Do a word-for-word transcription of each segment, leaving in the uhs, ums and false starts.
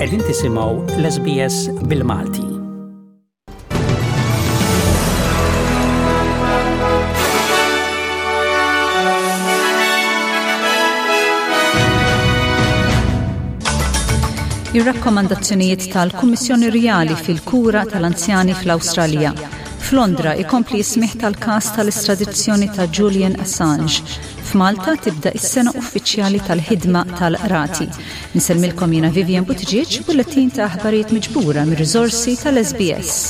Qegħdin tisimgħu l-S B S bil-Malti. Ir-rakkomandazzjonijiet tal-Kummissjoni Rjali fil-kura tal-anzjani fl-Awstralja. F'Londra ikompli smigħ tal-kas tal-estradizzjoni ta' Julian Assange. F'Malta tibda is-sena uffiċjali tal-ħidma tal-qrati. Insellmilkom jiena Vivian Buttigieg, bulletin ta' aħbarijiet miġbura mir-riżorsi tal-S B S.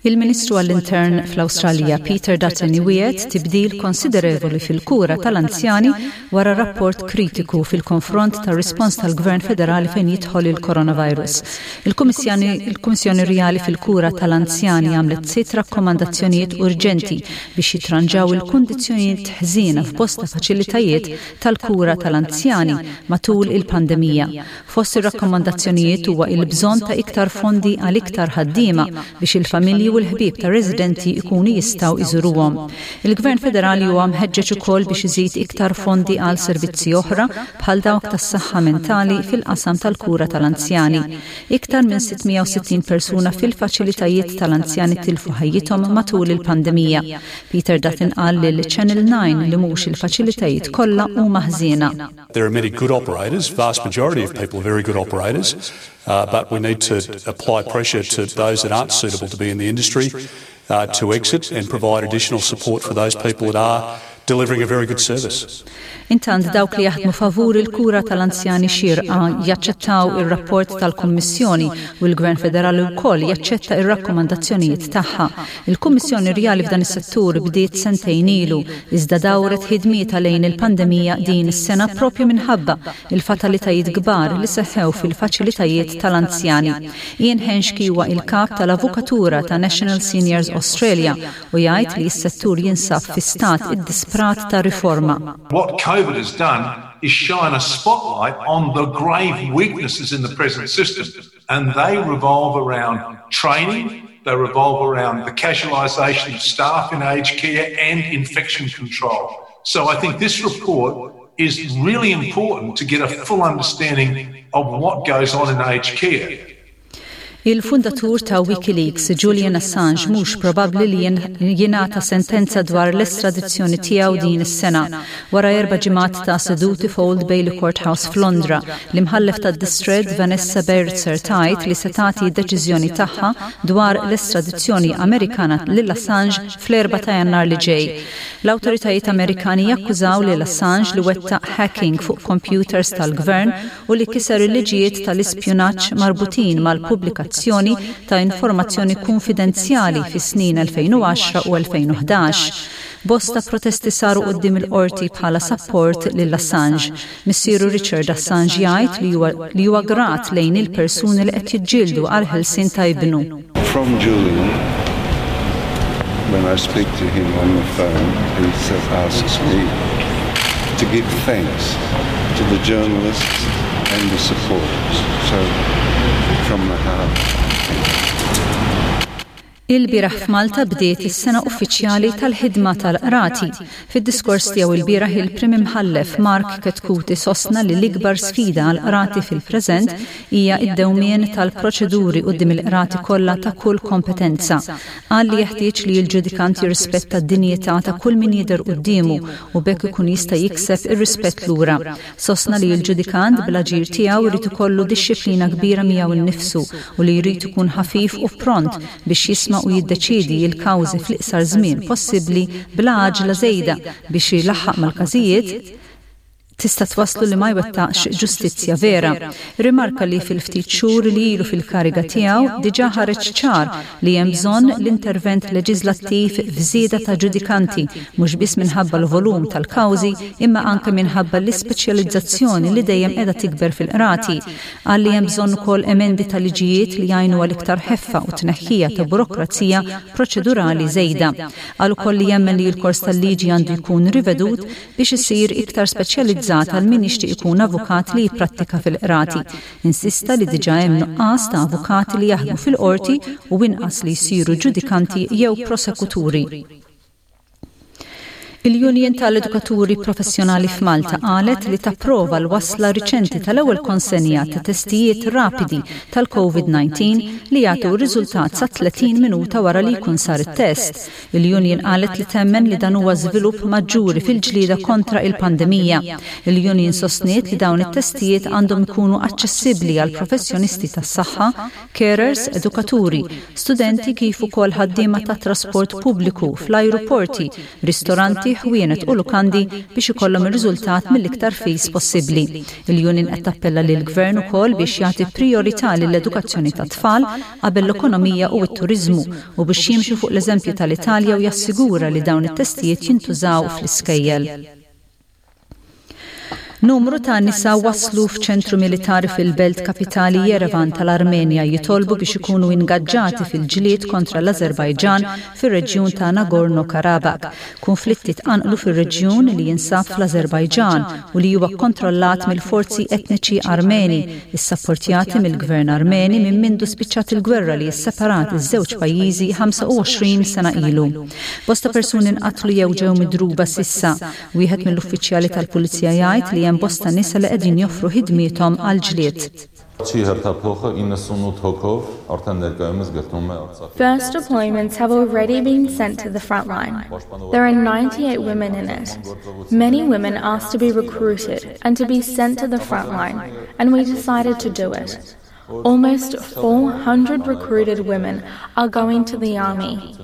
Il-Ministru għall-Intern fl-Awstralja Peter Dutton iwiegħed tibdil konsiderevoli fil-kura tal-anzjani wara rapport kritiku fil-konfront tar rispons tal-Gvern Federali fejn jidħol il-coronavirus. Il-Kummissjoni Rjali fil-kura tal-anzjani għamlet sitt rakkomandazzjonijiet urġenti biex jitranġaw il-kundizzjonijiet ħżiena f'bosta faċilitajiet tal-kura tal-anzjani matul il-pandemija. Fost ir-rakkomandazzjonijiet huwa il-bżonn ta' iktar fondi għal iktar ħaddiema biex il-familji u l-ħbieb ta' residenti ikunu jistgħu iżuruhom. Il-Gvern Federali huwa mħeġġeġ ukoll biex iżid iktar fondi għal servizzi oħra bħal dawk tas-saħħa mentali fil-qasam tal-kura tal-anzjani. Iktar minn sitt mija u sittin persuna fil-faċilitajiet tal-anzjani tilfu ħajjithom matul il-pandemija. Peter Dutton qal lil Channel nine li mhux il-faċilitajiet kollha huma ħżiena. There are many good operators, vast majority of people are very good operators, uh, but we need to apply pressure to those that aren't suitable to be in the industry uh, to exit and provide additional support for those people that are delivering a very good service. Intant, dawk li jaħdmu favur il-kura tal-anzjani xirqa jaċċettaw ir-rapport tal-Kummissjoni u l-Gvern Federali wkoll jaċċetta ir-rakkomandazzjonijiet tagħha. Il-Kummissjoni Rjali f'dan is-settur bdiet sentejn ilu, iżda dawret ħidmietha lejn il-pandemija din is-sena propju minħabba il-fatalitajiet kbar li seħħew fil-faċilitajiet tal-anzjani. Ian Henschke huwa il-kap tal-Avukatura ta' National Seniors Australia u jgħid li s-settur jinsab fi stat iddisprat ta' riforma. What COVID has done is shine a spotlight on the grave weaknesses in the present system, and they revolve around training, they revolve around the casualisation of staff in aged care and infection control. So I think this report is really important to get a full understanding of what goes on in aged care. Il-fundatur ta' WikiLeaks, Julian Assange, mhux probabbli li jingħata sentenza dwar l-estradizzjoni tiegħu din is-sena. Wara erba' ġimgħat ta' seduti f'Old Bailey Courthouse f'Londra, l-imħallef tad-distrett Vanessa Baraitser tgħid li se tagħti deċiżjoni tagħha dwar l-estradizzjoni Amerikana lil Assange fl-erba' ta' Jannar li ġej. L-awtoritajiet Amerikani jakkużaw lil Assange li wettaq hacking fuq computers tal-gvern u li kiser il-liġijiet tal-ispjunaġġ marbutin mal-pubblikazzjoni ta' informazzjoni konfidenzjali fis-snin elfejn u għaxra u elfejn u ħdax. Bosta protesti saru quddiem il-qorti bħala support lil Assange. Missieru Richard Assange jgħid li huwa grat lejn il-persuni li qed jiġġieldu għal ħelsien ta' ibnu. From Julian, when I speak to him on the phone, he says, asks me to give thanks to the journalists and the supporters. So, from the heart, thank you. Il-bieraħ f'Malta bdiet is-sena uffiċjali tal-ħidma tal-qrati. Fid-diskors tiegħu il-bieraħ, il-Prim Imħallef Mark Chetcuti sostna li l-ikbar sfida għall-qrati fil-preżent hija id-dewmien tal-proċeduri quddiem il-qrati kollha ta' kull kompetenza. Qal li jeħtieġ li l-ġudikant jirrispetta d-dinjità ta' kull min jidher quddiemu u b'hekk ikun jista' jikseb ir-rispett lura. Sostna li l-ġudikant bl-aġir tiegħu jrid ikollu dixxiplina kbira miegħu nnifsu u li jrid ikun ħafif u pront biex jisma' u jiddeċidi il-kawżi fl-iqsar żmien possibbli bla għaġla żejda biex jilaħħaq mal-każijiet tista' twaslu li ma jwettaqx ġustizzja vera. Rimarka li fil-ftit xhur li ilu fil-kariga tiegħu diġà ħareġ ċar li hemm bżonn l-intervent leġislattiv f'żieda ta' ġudikanti, mhux biss minħabba l-volum tal-kawżi imma anke minħabba l-ispeċjalizzazzjoni li dejjem qiegħda tikber fil-qrati. Qal li hemm bżonn ukoll emendi ta' liġijiet li jgħinu għal iktar ħeffa u tneħħija ta' burokrazija proċedurali żejda. Qal ukoll li jemmen li l-kors tal-liġi għandu jkun rivedut biex isir iktar speċjalizzat. speċjalizzat għal min jixtieq ikun avukat li jipprattika fil-qrati. Insista li diġà hemm nuqqas ta' avukati li jaħdmu fil-qorti u inqas li jsiru ġudikanti jew prosekuturi. Il-Union tal-Edukaturi Professjonali f'Malta qalet li tapprova l-wasla riċenti tal-ewwel konsenja ta' testijiet rapidi tal-COVID nineteen li jagħtu riżultat sa tletin minuta wara li jkun sar it-test. Il-Union qalet li temmen li dan huwa żvilupp maġġuri fil-ġlieda kontra il-pandemija. Il-Union sostniet li dawn it-testijiet għandhom ikunu aċċessibbli għal professjonisti tas-saħħa, carers, edukaturi, studenti kif ukoll ħaddiema ta' trasport pubbliku fl-ajruporti, ristoranti, ħwienet u lukandi biex ikollhom ir-riżultat mill-iktar fis possibbli. Il-Union qed tappella lil gvern ukoll biex jagħti priorità lill-edukazzjoni tat-tfal qabel l-ekonomija u t-turiżmu u biex jimxu fuq l-eżempju tal-Italja u jassigura li dawn it-testijiet jintużaw fl-iskejjel. Numru ta' nisa waslu f'ċentru militari fil-belt kapitali Yerevan tal-Armenja jitolbu biex ikunu ingaġġati fil-ġlied kontra l-Azerbajġan fir-reġjun ta' Nagorno-Karabakh. Konflitti tqanqlu fir-reġjun li jinsab fl-Azerbajġan u li huwa kontrollat mill-forzi etniċi Armeni, issapportjati mill-gvern Armeni minn mindu spiċċat il-gwerra li sseparat iż-żewġ pajjiżi ħamsa u għoxrin sena ilu. Bosta persuni nqatlu jew ġew midruba s'issa. Wieħed mill-uffiċjali tal-pulizija jgħid li hemm bosta nisa li qegħdin joffru ħidmiethom għal ġlied. First deployments have already been sent to the front line. There are ninety-eight women in it. Many women asked to be recruited and to be sent to the front line, and we decided to do it. Almost four hundred recruited women are going to the army.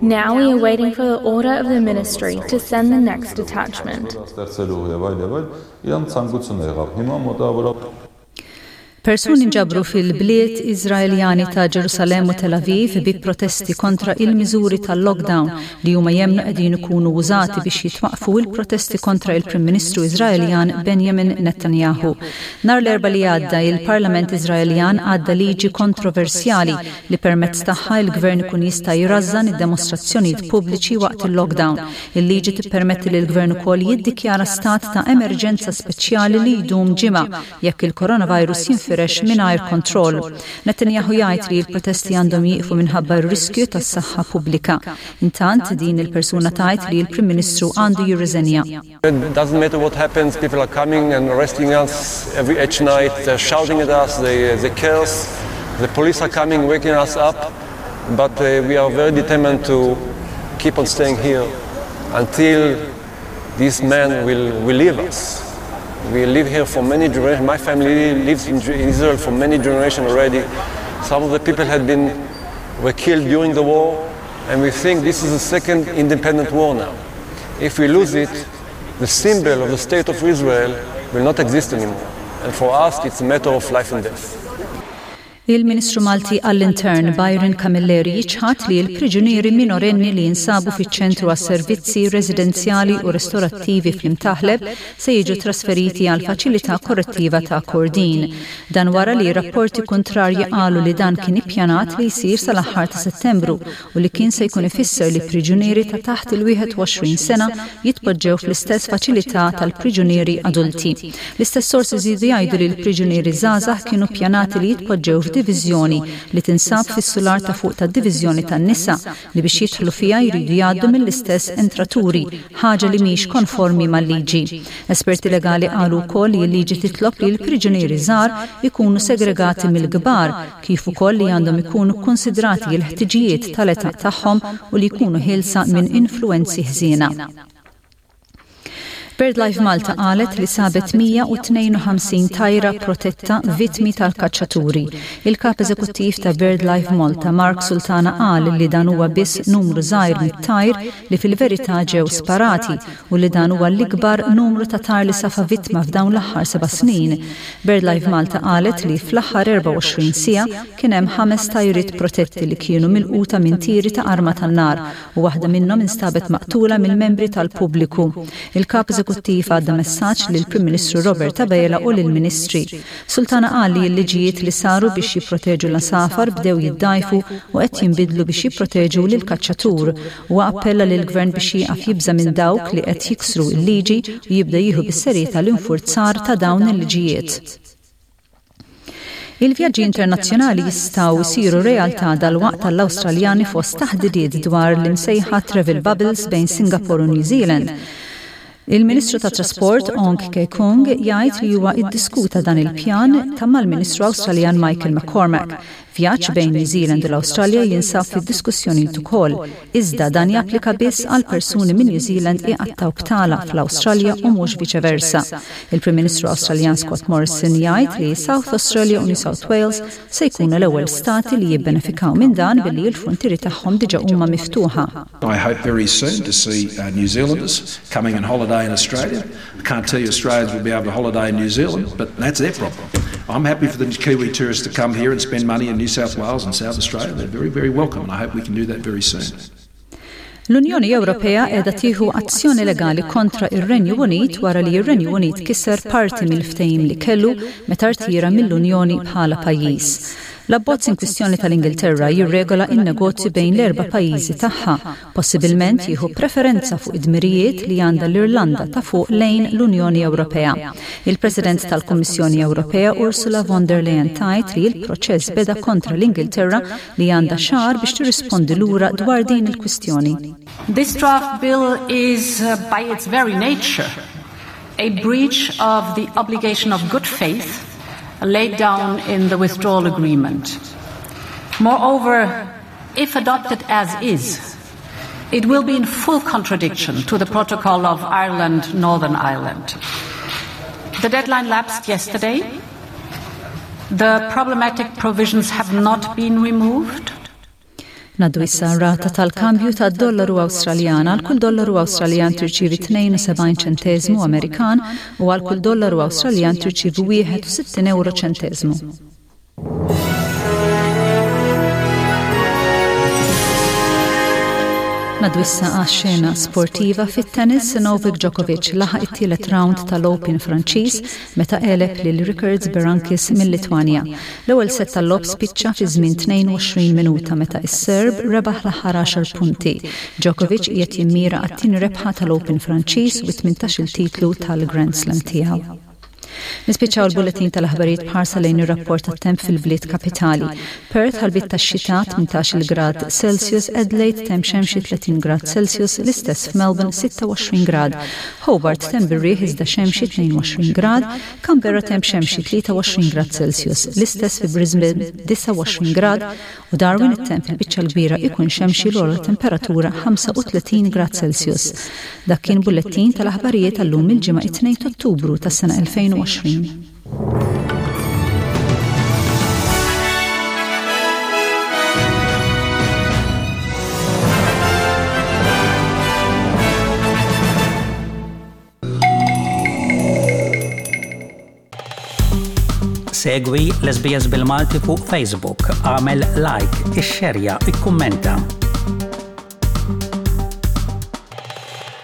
Now we are waiting for the order of the ministry to send the next detachment. Persuni nġabru fil-bliet Iżraeljani ta' Ġerusalem u Tel Aviv bi protesti kontra il-miżuri tal-lockdown li huma jemnu qegħdin ikunu użati biex jitwaqfu il-protesti kontra il-Prim Ministru Iżraeljan Benjamin Netanyahu. Nhar l-Erbgħa li għadda, il-Parlament Iżraeljan għadda liġi kontroversjali li permezz tagħha il-gvern ikun jista' jrażżan id-demostrazzjonijiet pubbliċi waqt il-lockdown. Il-liġi tippermetti li l-gvern ukoll jiddikjara stat ta' emerġenza speċjali li jdum ġimgħa jekk il-coronavirus jinfirex mingħajr kontroll. Netanyahu jgħid li l-protesti għandhom jieqfu minħabba r-riskju tas-saħħa pubblika. Intant, din il-persuna tgħid li l-Prim Ministru għandu jirriżenja. It doesn't matter what happens, people are coming and arresting us every each night, they're shouting at us, they, they curse, the police are coming, waking us up, but uh, we are very determined to keep on staying here until this man will, will leave us. We live here for many generations. My family lives in, in Israel for many generations already. Some of the people had been were killed during the war, and we think this is the second independent war now. If we lose it, the symbol of the state of Israel will not exist anymore. And for us, it's a matter of life and death. Il-Ministru Malti għall-Intern Byron Camilleri jiċħat li l-priġunieri minorenni li jinsabu fiċ-ċentru għas-servizzi residenzjali u restorattivi fl-Imtaħleb se jiġu trasferiti għal faċilità korrettiva ta' Kordin. Dan wara li rapporti kontrarji qalu li dan kien ippjanat li jsir sal-aħħar ta' Settembru u li kien se jkun ifisser li priġunieri ta' taħt il-wieħed u għoxrin sena jitpoġġew fl-istess faċilità tal-priġunieri adulti. L-istess sorsi żiedu jgħidu li l-priġunieri żgħażagħ kienu ppjanati li jitpoġġew f'diviżjoni li tinsab fis-sular ta' fuq tad-diviżjoni tan-nisa, li biex jidħlu fiha jridu jgħaddu mill-istess entraturi, ħaġa li mhix konformi mal-liġi. Esperti legali qalu wkoll li l-liġi titlob li l-priġunieri żgħar ikunu segregati mill-kbar, kif ukoll li għandhom ikunu konsidrati l-ħtiġijiet tal-età tagħhom u li jkunu ħielsa minn influenzi ħżiena. BirdLife Malta qalet li sabet mija u tnejn u ħamsin tajra protetta vittmi tal-kaċċaturi. Il-kap eżekuttiv ta' BirdLife Malta, Mark Sultana, qal li dan huwa biss numru żgħir mit-tajr li fil-verità ġew sparati u li dan huwa l-ikbar numru ta' tajr li safa vittma f'dawn l-aħħar seba' snin. BirdLife Malta qalet li fl-aħħar erbgħa u għoxrin siegħa kien hemm ħames tajriet protetti li kienu milquta minn tiri ta' arma tan-nar u waħda minnhom instabet maqtula mill-membri tal-pubbliku. Il-kap eżekuttiv Eżekuttiv għadda messaġġ lill-Prim Ministru Robert Abela u lill-Ministri. Sultana qal li l-liġijiet li saru biex jipproteġu l-għasafar bdew jiddajfu u qed jinbidlu biex jipproteġu lil kaċċatur u appella lill-gvern biex jieqaf jibża minn dawk li qed jiksru l-liġi u jibda jieħu bis-serjetà l-infurzar ta' dawn il-liġijiet. Il-vjaġġi internazzjonali jistgħu jsiru realtà dalwaqt tal-Awstraljani fost taħdidiet dwar l-imsejħa travel bubbles bejn Singapore u New Zealand. Il-Ministru ta' Trasport Ong Ye Kung jgħid li huwa iddiskuta dan il-pjan ta' mal-Ministru Awstraljan Michael McCormack. Vjaġġ bejn New Zealand u l-Awstralja jinsab fid-diskussjoni ukoll, iżda dan japplika biss għal persuni minn New Zealand iqattaw btala fl-Awstralja u mhux viċeversa. Il-Prim Ministru Awstraljan Scott Morrison jgħid li South Australia u New South Wales se jkunu l-ewwel stati li jibbenefikaw minn dan billi l-frontieri tagħhom diġà huma miftuħa. I hope very soon to see uh, New Zealanders coming and holiday in Australia. I can't tell you Australians will be able to holiday in New Zealand, but that's their problem. I'm happy for the Kiwi tourists to come here and spend money in New South Wales and South Australia. They're very, very welcome, and I hope we can do that very soon. L-Unjoni Ewropea qiegħda tieħu azzjoni legali kontra ir-Renju Unit wara li ir-Renju Unit kisser parti mill-ftehim li kellu meta rtira mill-Unjoni bħala pajjiż. L-abbozz in kwistjoni tal-Ingilterra jirregola in-negozju bejn l-erba' pajjiżi tagħha, possibilment jieħu preferenza fuq id-dmirijiet li għandha l-Irlanda ta' fuq lejn l-Unjoni Ewropea. Il-President tal-Kummissjoni Ewropea Ursula von der Leyen tgħid li l-proċess beda kontra l-Ingilterra li għandha xahar biex tirrispondi lura dwar din il-kwistjoni. This draft bill is, uh, by its very nature, a breach of the obligation of good faith laid down in the withdrawal agreement. Moreover, if adopted as is, it will be in full contradiction to the protocol of Ireland, Northern Ireland. The deadline lapsed yesterday. The problematic provisions have not been removed. Ngħaddu issa rata tal-kambju ta' dollaru Awstraljan. Għal kull dollaru Awstraljan tirċivi tnejn u sebgħin ċentesmu Amerikan u għal kull dollaru Awstraljan tirċivi wieħed u sittin euro ċentesmu. Ngħaddu issa għax-xena sportiva. Fit-tennis, Novak Djokovic laħaq it-tielet round tal-Open Franċiż meta għeleb lil Ricards Berankis mill-Litwanja. L-ewwel set tal-logħob spiċċa fi żmien tnejn u għoxrin minuta meta is-Serb rebaħ l-aħħar għaxar punti. Djokovic qiegħed jimmira għat-tieni rebħa tal-Open Franċiż u tmintax-il titlu tal-Grand Slam tiegħu. Nispiċċaw il-bulletin tal-aħbarijiet b'ħarsa lejn ir-rapport tat-temp fil-bliet kapitali. Perth ħalbiet tax-xita, tmintax-il grad Celsius, Adelaide temp xemxi, tletin grad Celsius, l-istess f'Melbourne, sitta u għoxrin grad. Hobart temp bir-riħ iżda xemxi, tnejn u għoxrin grad, Canberra temp xemxi, tlieta u għoxrin grad Celsius, l-istess fi Brisbane, disgħa u għoxrin grad u Darwin it-temp il-biċċa l-kbira ikun xemxi, l-ogħla temperatura ħamsa u tletin grad Celsius. Dak kien bullettin tal-aħbarijiet għallum il-ġimgħa it-tnejn Ottubru tas-sena elfejn u għoxrin. Segwi l-S B S bil-Malti fuq Facebook, għamel like, ixxerja, ikkummenta.